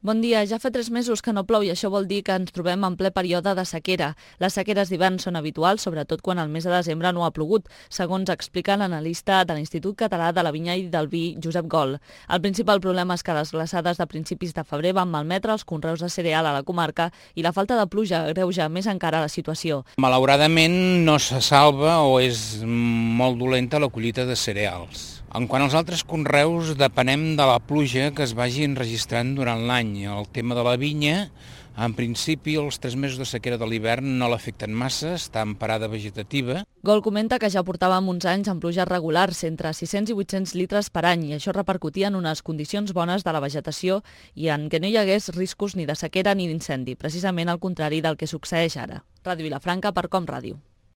Bon dia. Ja fa 3 mesos que no plou i això vol dir que ens trobem en ple període de sequera. Les sequeres d'hivern són habituals, sobretot quan al mes de desembre no ha plogut, segons explica l'analista de l'Institut Català de la Vinya i del Vi, Josep Gol. El principal problema és que les glaçades de principis de febrer van malmetre els conreus de cereal a la comarca i la falta de pluja agreuja més encara la situació. Malauradament no se salva o és molt dolenta la collita de cereals. En quant als altres conreus, depenem de la pluja que es vagi enregistrant durant l'any. El tema de la vinya, en principi, els 3 mesos de sequera de l'hivern no l'afecten massa, està en parada vegetativa. Gol comenta que ja portàvem uns anys amb pluges regulars, entre 600 i 800 litres per any, i això repercutia en unes condicions bones de la vegetació i en què no hi hagués riscos ni de sequera ni d'incendi, precisament al contrari del que succeeix ara. Ràdio Vilafranca per Com Ràdio.